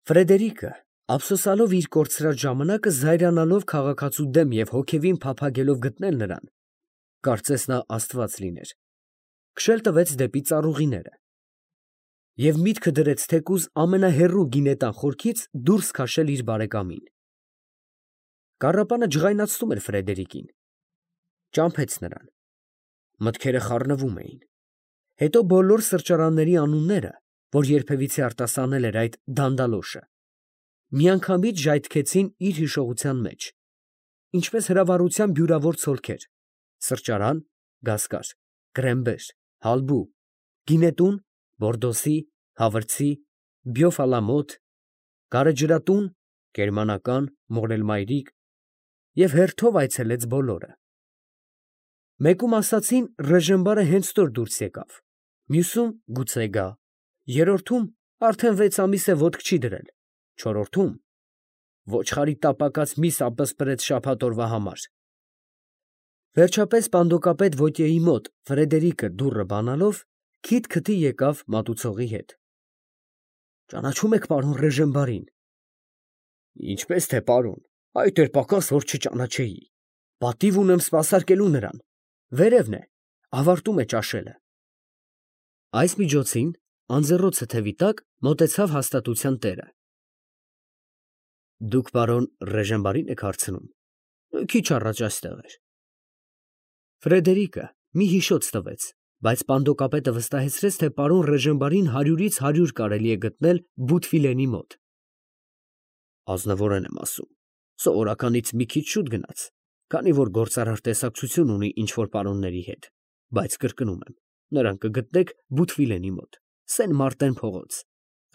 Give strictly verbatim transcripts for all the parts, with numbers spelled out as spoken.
Ֆրեդերիկը, ափսոսալով իր կորցրած ժամանակը, զայրանալով քաղաքացու դեմ և հոգևին փափագելով գտնել նրան, կարծես նա աստված լիներ, քշել տվեց դեպի ծառուղիները և միտքը դրեց թեկուզ ամենահեռու գինետան խորքից դուրս քաշել իր բարեկամին։ Կառապանը ջղայնացնում էր Ֆրեդերիկին, ճամփեց նրան, մտքերը խառնվում էին, հետո բոլոր սրճարանների անունները, որ երբևիցե արտասանել էր այդ դանդալոշը, միանգամից ժայթքեցին իր հիշողության մեջ, ինչպես հրավառության բյուրավոր ցոլքեր, սրճարան, Գասկար, Գրեմբեր, Հալբու, գինետուն, Բորդոսի, Հավրցի, Բյոֆալամոտ, գարեջրատուն, գերմանական, մորելմայրիկ և հերթով այցելեց բոլորը։ Մեկում ասացին Ռեժենբարը հենց նոր դուրս եկավ, մյուսում գուցե գա, երրորդում արդեն վեց ամիս է ոտք չի դրել, չորրորդում ոչխարի տապակած միս ապսպրեց շաբաթ օրվա համար։ Վերջապես պանդոկապետ Վոտյեի մոտ Ֆրեդերիկը դուռը բանալով քիթ-քթի եկավ մատուցողի հետ։ Ճանաչո՞ւմ եք պարոն Ռեժենբարին։ Ինչպես թե պարոն, այդ էր պակաս, որ չճանաչեի։ Պատիվ ունեմ սպասարկելու նրան, վերևն է, ավարտում է ճաշելը։ Այս միջոցին անձեռոցը թևի տակ մոտեցավ հաստատության տերը։ Դուք պարոն Ռեժենբարին եք հարցնում, քիչ առաջ այստեղ էր։ Ֆրեդերիկը մի հիշոց տվեց, բայց պանդոկապետը վստահեցրեց, թե պարոն Ռեժենբարին հարյուրից հարյուր կարելի է գտնել Բութվիլենի մոտ։ Ազնվորեն եմ ասում, սովորականից մի քիչ շուտ գնաց, քանի որ գործարար տեսակցություն ունի ինչ֊որ պարոնների հետ, բայց կրկնում եմ, նրան կգտնեք Բութվիլենի մոտ, Սեն Մարտեն փողոց,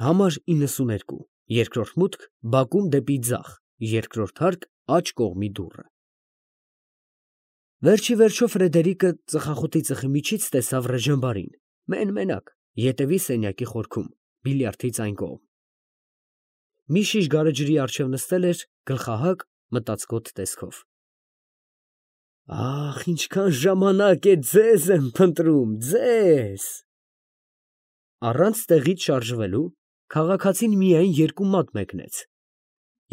համար իննսուներկու, երկրորդ մուտք բակում դեպի ձախ, երկրորդ հարկ աջ կողմի դուռը։ Վերջ ի վերջո Ֆրեդերիկը ծխախոտի ծխի միջից տեսավ Ռեժենբարին, մեն֊մենակ, ետևի սենյակի խորքում, բիլիարդից այն կողմ։ Մի շիշ գարեջրի առջև նստել էր, գլխահակ, մտածկոտ տեսքով։ Ախ, ինչքան ժամանակ է ձեզ եմ փնտրում, ձեզ։ Առանց տեղից շարժվելու քաղաքացին միայն երկու մատ մեկնեց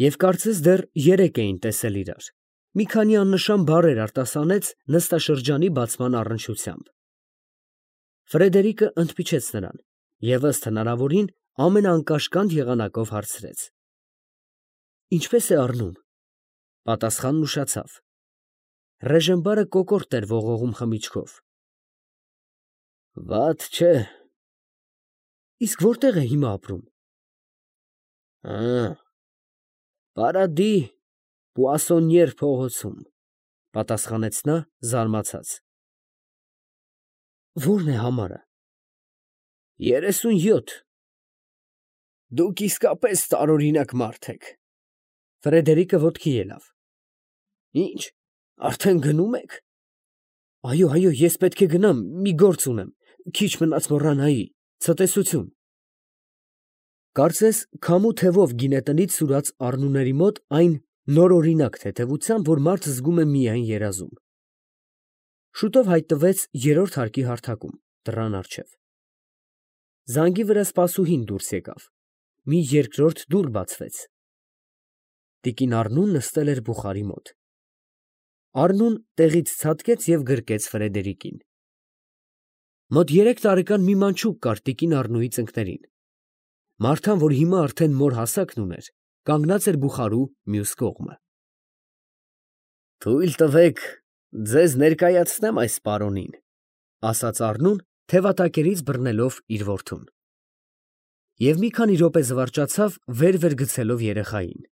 և կարծես դեռ երեկ էին տեսել իրար, մի քանի աննշան բառեր արտասանեց նստաշրջանի բացման առնչությամբ։ Ֆրեդերիկը ընդմիջեց նրան և ըստ հնարավորին ամենաանկաշկանդ եղանակով հարցրեց. Ինչպե՞ս է առնում։ Պատասխանն ուշացավ։ Ռեժենբարը կոկորտ էր ողողում խմիչքով։ Վատ չէ։ Իսկ որտե՞ղ է հիմա ապրում։ Ա, Պարադի Պուասոնիեր փողոցում, պատասխանեց նա զարմացած։ Ո՞րն է համարը։ երեսունյոթ։ Դուք իսկապես տարօրինակ մարդ եք։ Ֆրեդերիկը ոտքի ելավ։ Ինչ, արդեն գնում եք։ Այո, այո, ես պետք է գնամ, մի գործ ունեմ, քիչ մնաց մոռանայի, ցտեսություն։ Կարծես քամու թևով գինետնից սուրաց առնուների մոտ այն նորօրինակ թեթևությամբ, որ մարդ զգում է միայն երազում։ Շուտով հայտնվեց երրորդ հարկի հարթակում, դռան առջև։ Զանգի վրա սպասուհին դուրս եկավ, մի երկրորդ դուռ բացվեց։ Տիկին Առնուն նստել էր բուխարի մոտ։ Առնուն տեղից ցատկեց և գրկեց Ֆրեդերիկին։ Մոտ երեք տարեկան մի մանչուկ կար տիկին Առնուի ծնկներին։ Մարդան, որ հիմա արդեն մոր հասակն ուներ, կանգնած էր բուխարու մյուս կողմը։ Թույլ տվեք ձեզ ներկայացնեմ այս պարոնին, ասաց Առնուն, թևատակերից բռնելով իր որդուն։ Եվ մի քանի րոպե զվարճացավ, վեր֊վեր գցելով երեխային։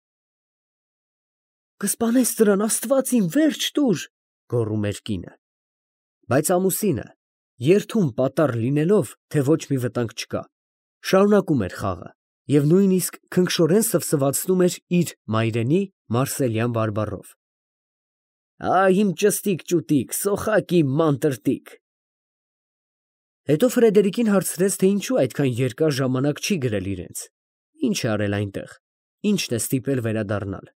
Կսպանես նրան, Աստված իմ, վերջ տուր, գոռում էր կինը։ Բայց ամուսինը, երդում պատառ լինելով, թե ոչ մի վտանգ չկա, շարունակում էր խաղը և նույնիսկ քնքշորեն սվսվացնում էր իր մայրենի մարսելյան բարբառով. Ա, իմ ճստիկ ճուտիկ, սոխակ իմ ման տրտիկ։ Հետո Ֆրեդերիկին հարցրեց, թե ինչու այդքան երկար ժամանակ չի գրել իրենց, ինչ է արել այնտեղ, ինչն է ստիպել վերադառնալ։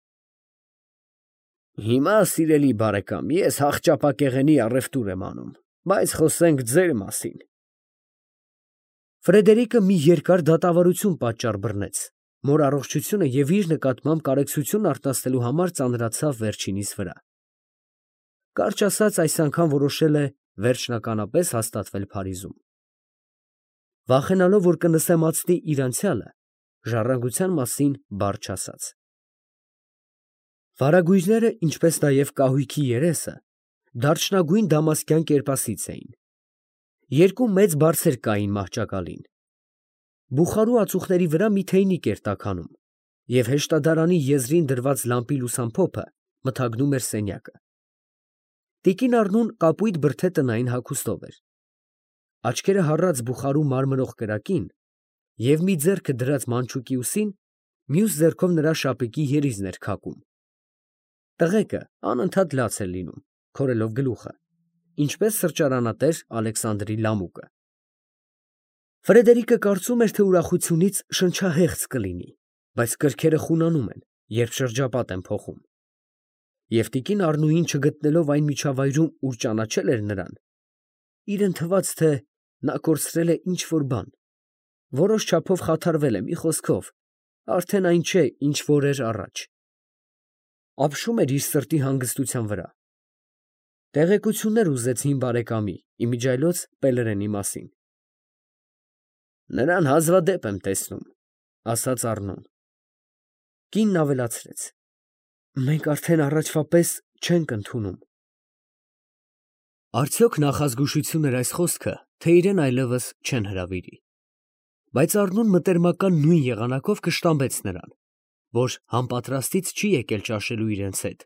Հիմա, սիրելի բարեկամ, ես հախճապակեղենի առևտուր եմ անում, բայց խոսենք ձեր մասին։ Ֆրեդերիկը մի երկար դատավարություն պատճառ բռնեց, մոր առողջությունը և իր նկատմամբ կարեկցություն արտասնելու համար ծանրացավ վերջինիս վրա։ Կարճ ասած, այս անգամ որոշել է վերջնականապես հաստատվել Փարիզում։ Վախենալով, որ կնսեմացնի իր անցյալը, ժառանգության մասին բառ չասաց։ Վարագույրները, ինչպես նաև կահույքի երեսը, դարչնագույն դամասկյան կերպասից էին։ Երկու մեծ բարձեր կային մահճակալին։ Բուխարու ածուխների վրա մի թեյնիկ էր տաքանում, և հեշտադարանի եզրին դրված լամպի լուսամփոփը մթագնում էր սենյակը։ Տիկին Առնուն կապույտ բրդե տնային հագուստով էր։ Աչքերը հառած բուխարու մարմնող կրակին և մի ձեռքը դրած մանչուկի ուսին, մյուս ձեռքով նրա շապիկի երիզն էր քակում։ Տղեկը անընդհատ լաց էր լինում, քորելով գլուխը, ինչպես սրճարանատեր Ալեքսանդրի լամուկը։ Ֆրեդերիկը կարծում էր, թե ուրախությունից շնչահեղձ կլինի, բայց կրքերը խունանում են, երբ շրջապատ են փոխում։ Եվ տիկին Առնուին չգտնելով այն միջավայրում, ուր ճանաչել էր նրան, իրան թվաց, թե նա կորցրել է ինչ֊որ բան, որոշ չափով խաթարվել է, մի խոսքով, արդեն այն չէ, ինչ որ էր առաջ։ Ապշում էր իր սրտի հանգստության վրա։ Տեղեկություններ ուզեց հին բարեկամի, իմիջիայլոց Պելերենի մասին։ Նրան հազվադեպ եմ տեսնում, ասաց Առնուն։ Կինն ավելացրեց. մենք արդեն առաջվա պես չենք ընդունում։ Արդյոք նախազգուշություն էր այս խոսքը, թե իրեն այլևս չեն հրավիրի։ Բայց Առնուն մտերմական նույն եղանակով կշտամբեց նրան, որ համպատրաստից չի եկել ճաշելու իրենց հետ,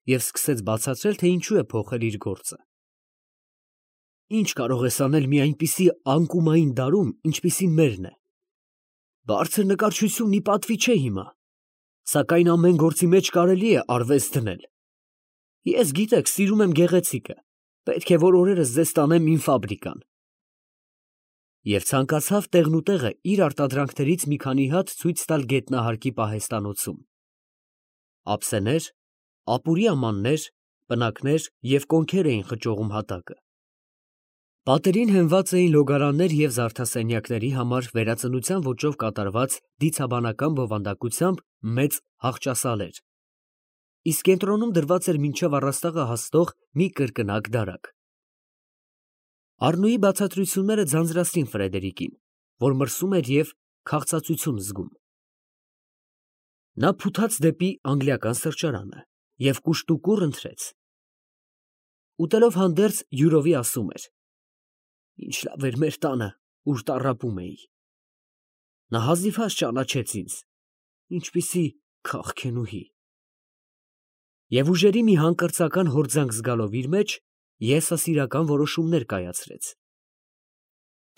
և սկսեց բացատրել, թե ինչու է փոխել իր գործը։ Ի՞նչ կարող ես անել մի այնպիսի անկումային դարում, ինչպիսին մերն է։ Բարձր նկարչությունն ի պատվի չէ հիմա, սակայն ամեն գործի մեջ կարելի է արվեստ դնել։ Ես, գիտեք, սիրում եմ գեղեցիկը, պետք է որ օրերս ձեզ տանեմ իմ ֆաբրիկան։ Եվ ցանկացավ տեղնուտեղը իր արտադրանքներից մի քանի հատ ցույց տալ գետնահարկի պահեստանոցում։ Ափսեներ, ապուրի ամաններ, պնակներ և կոնքեր էին խճողում հատակը։ Պատերին հենված էին լոգարաններ և զարդասենյակների համար վերածնության ոճով կատարված դիցաբանական բովանդակությամբ մեծ հախճասալեր, իսկ կենտրոնում դրված էր մինչև առաստաղը հասնող մի կրկնակ դարակ։ Առնուի բացատրությունները ձանձրացրին Ֆրեդերիկին, որ մրսում էր և քաղցածություն զգում։ Նա փութաց դեպի անգլիական սրճարանը և կուշտուկուռ ընթրեց։ Ուտելով հանդերձ յուրովի ասում էր. «Ինչ լավ էր մեր տանը, ուր տառապում էի։ Նա հազիվհազ ճանաչեց ինձ, ինչպիսի քաղքենուհի»։ Եվ ուժերի մի հանկրծական հորձանք զգալով իր մեջ, եսասիրական որոշումներ կայացրեց։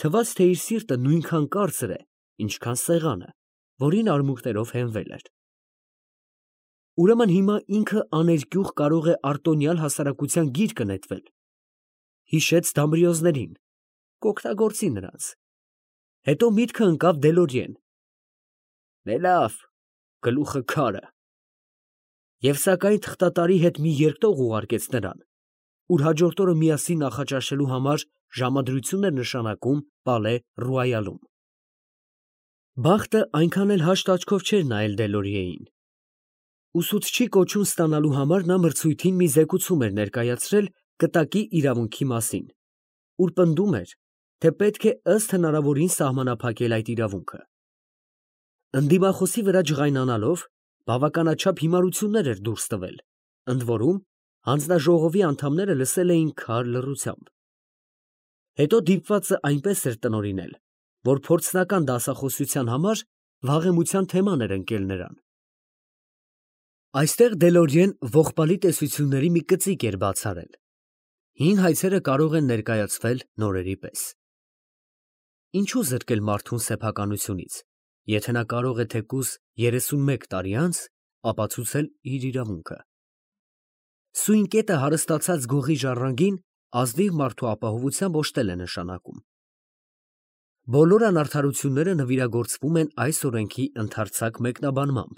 Թվաց, թե իր սիրտը նույնքան կարծր է, ինչքան սեղանը, որին արմունկներով հենվել էր։ Ուրեմն հիմա ինքը աներկյուղ կարող է արտոնյալ հասարակության գիրկը նետվել։ Հիշեց Դամրիոզներին, կօգտագործի նրանց։ Հետո միտքը ընկավ Դելորիեն։ Դե լավ, գլուխը քարը։ Եվ սակայն թղթատարի հետ մի երկտող ուղարկեց նրան, ուր հաջորդ օրը միասին նախաճաշելու համար ժամադրություն էր նշանակում Պալե Ռոյալում։ Բախտը այնքան էլ հաշտ աչքով չէր նայել Դելորիեին։ Ուսուցչի կոչում ստանալու համար նա մրցույթին մի զեկուցում էր ներկայացրել կտակի իրավունքի մասին, ուր պնդում էր, թե պետք է ըստ հնարավորին սահմանափակել այդ իրավունքը։ Ընդդիմախոսի վրա ջղայնանալով, բավականաչափ հիմարություններ էր դուրս տվել, ընդ որում հանձնաժողովի անդամները լսել էին քար լռությամբ։ Հետո դիպվածը այնպես էր տնօրինել, որ փորձնական դասախոսության համար վաղեմության թեման էր ընկել նրան։ Այստեղ Դելորիեն ողբալի տեսությունների մի կծիկ էր բաց արել։ Հին հայցերը կարող են ներկայացվել նորերի պես։ Ինչու զրկել մարդուն սեփականությունից, եթե նա կարող է թեկուզ երեսունմեկ տարի անց ապացուցել իր իրավունքը։ Սույն կետը հարստացած գողի ժառանգին ազնիվ մարդու ապահովությամբ օժտել է նշանակում։ Բոլոր անարդարությունները նվիրագործվում են այս օրենքի ընդարձակ մեկնաբանմամբ,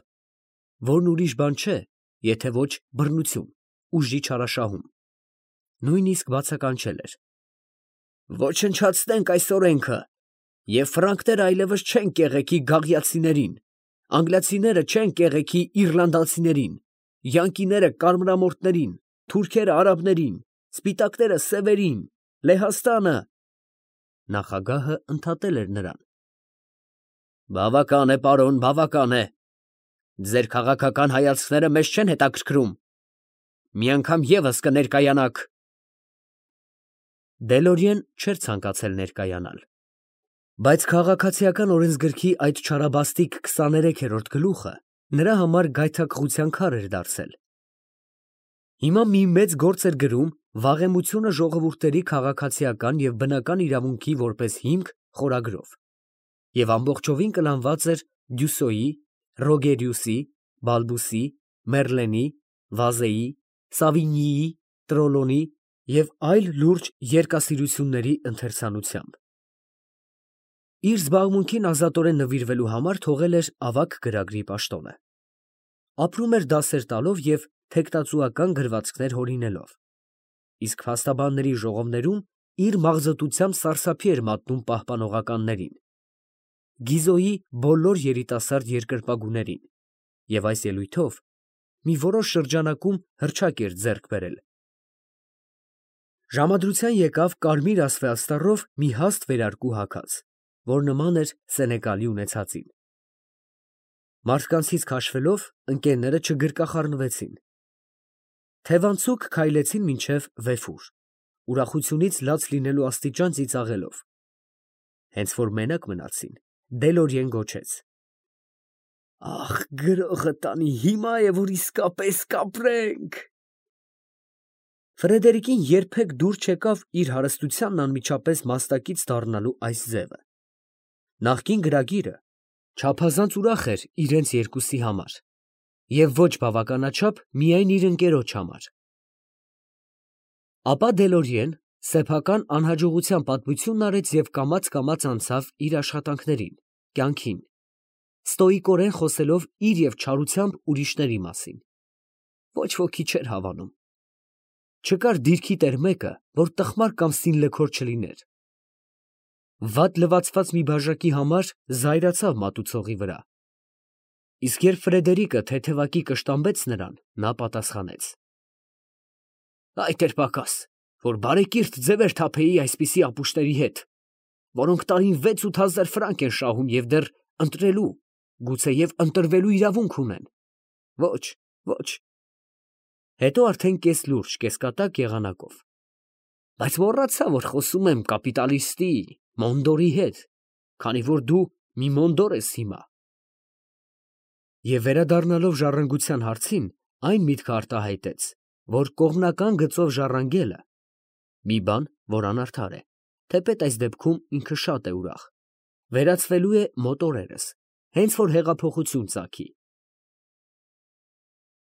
որն ուրիշ բան չէ, եթե ոչ բռնություն, ուժի չարաշահում։ Նույնիսկ բացականչել էր. «Ոչնչացնենք այս օրենքը, և ֆրանկները այլևս չեն կեղեքի գաղյացիներին, Անգլիացիները չեն կեղեքի իռլանդացիներին, յանկիները կարմրամորթներին, թուրքերը արաբներին, սպիտակները սևերին, Լեհաստանը… Նախագահը ընդհատել էր նրան. Բավական է, պարոն, բավական է. ձեր քաղաքական հայացքները մեզ չեն հետաքրքրում. մի անգամ ևս կներկայանաք… Դելորիեն չէր ցանկացել ներկայանալ, բայց քաղաքացիական օրենսգրքի այդ չարաբաստիկ քսաներեքերորդ գլուխը նրա համար գայթակղության քար էր դարձել. հիմա մի մեծ գործ էր գրում վաղեմությունը ժողովուրդների քաղաքացիական և բնական իրավունքի որպես հիմք խորագրով, և ամբողջովին կլանված էր Դյուսոյի, Ռոգերիուսի, Բալբուսի, Մերլենի, Վազեի, Սավինյիի, Տրոլոնի և այլ լուրջ երկասիրությունների ընթերցանությամբ։ Իր զբաղմունքին ազատորեն նվիրվելու համար թողել էր ավագ գրագրի պաշտոնը։ Ապրում էր դասեր տալով և թեկտածուական գրվածքներ հորինելով, իսկ փաստաբանների ժողովներում իր մաղձոտությամբ սարսափի էր մատնում պահպանողականներին, Գիզոյի բոլոր երիտասարդ երկրպագուներին և այս ելույթով մի որոշ շրջանակում հռչակ էր ձեռք բերել։ Ժամադրության եկավ կարմիր ասվե աստառով մի հաստ վերարկու հագած, որ նման էր Սենեկալի ունեցածին։ Մարդկանցից քաշվելով, ընկերները չգրկախառնվեցին։ Թևանցուկ քայլեցին մինչև Վեֆուր, ուրախությունից լաց լինելու աստիճան ծիծաղելով։ Հենց որ մենակ մնացին, Դելորիեն գոչեց. «Ախ, գրողը տանի, հիմա է, որ իսկապես կապրենք»։ Ֆրեդերիկին երբեք դուր չեկավ իր հարստությանն անմիջապես մասնակից դառնալու այս ձևը։ Նախկին գրագիրը չափազանց ուրախ էր իրենց երկուսի համար և ոչ բավականաչափ միայն իր ընկերոջ համար։ Ապա Դելորիեն սեփական անհաջողության պատմությունն արեց և կամաց֊կամաց անցավ իր աշխատանքներին, կյանքին, ստոիկորեն խոսելով իր և չարությամբ ուրիշների մասին։ Ոչ ոքի չէր հավանում։ Չկար դիրքի տեր մեկը, որ տխմար կամ սինլքոր չլիներ։ Վատ լվացված մի բաժակի համար զայրացավ մատուցողի վրա, իսկ երբ Ֆրեդերիկը թեթևակի կշտամբեց նրան, նա պատասխանեց. «Այդ էր պակաս, որ բարեկիրթ ձևեր թափեի այսպիսի ապուշտների հետ, որոնք տարին վեց֊ութ հազար ֆրանկ են շահում և դեռ ընտրելու, գուցեև ընտրվելու իրավունք ունեն… Ոչ… ոչ…» Հետո արդեն կես֊լուրջ, կես֊կատակ եղանակով. «Բայց մոռացա, որ խոսում եմ կապիտալիստի, Մոնդորի հետ, քանի որ դու մի Մոնդոր ես հիմա…» Եվ վերադառնալով ժառանգության հարցին, այն միտքը արտահայտեց, որ կողմնական գծով ժառանգելը (մի բան, որ անարդար է, թեպետ այս դեպքում ինքը շատ է ուրախ) վերածվելու է մոտորերս, հենց որ հեղափոխություն ծագի։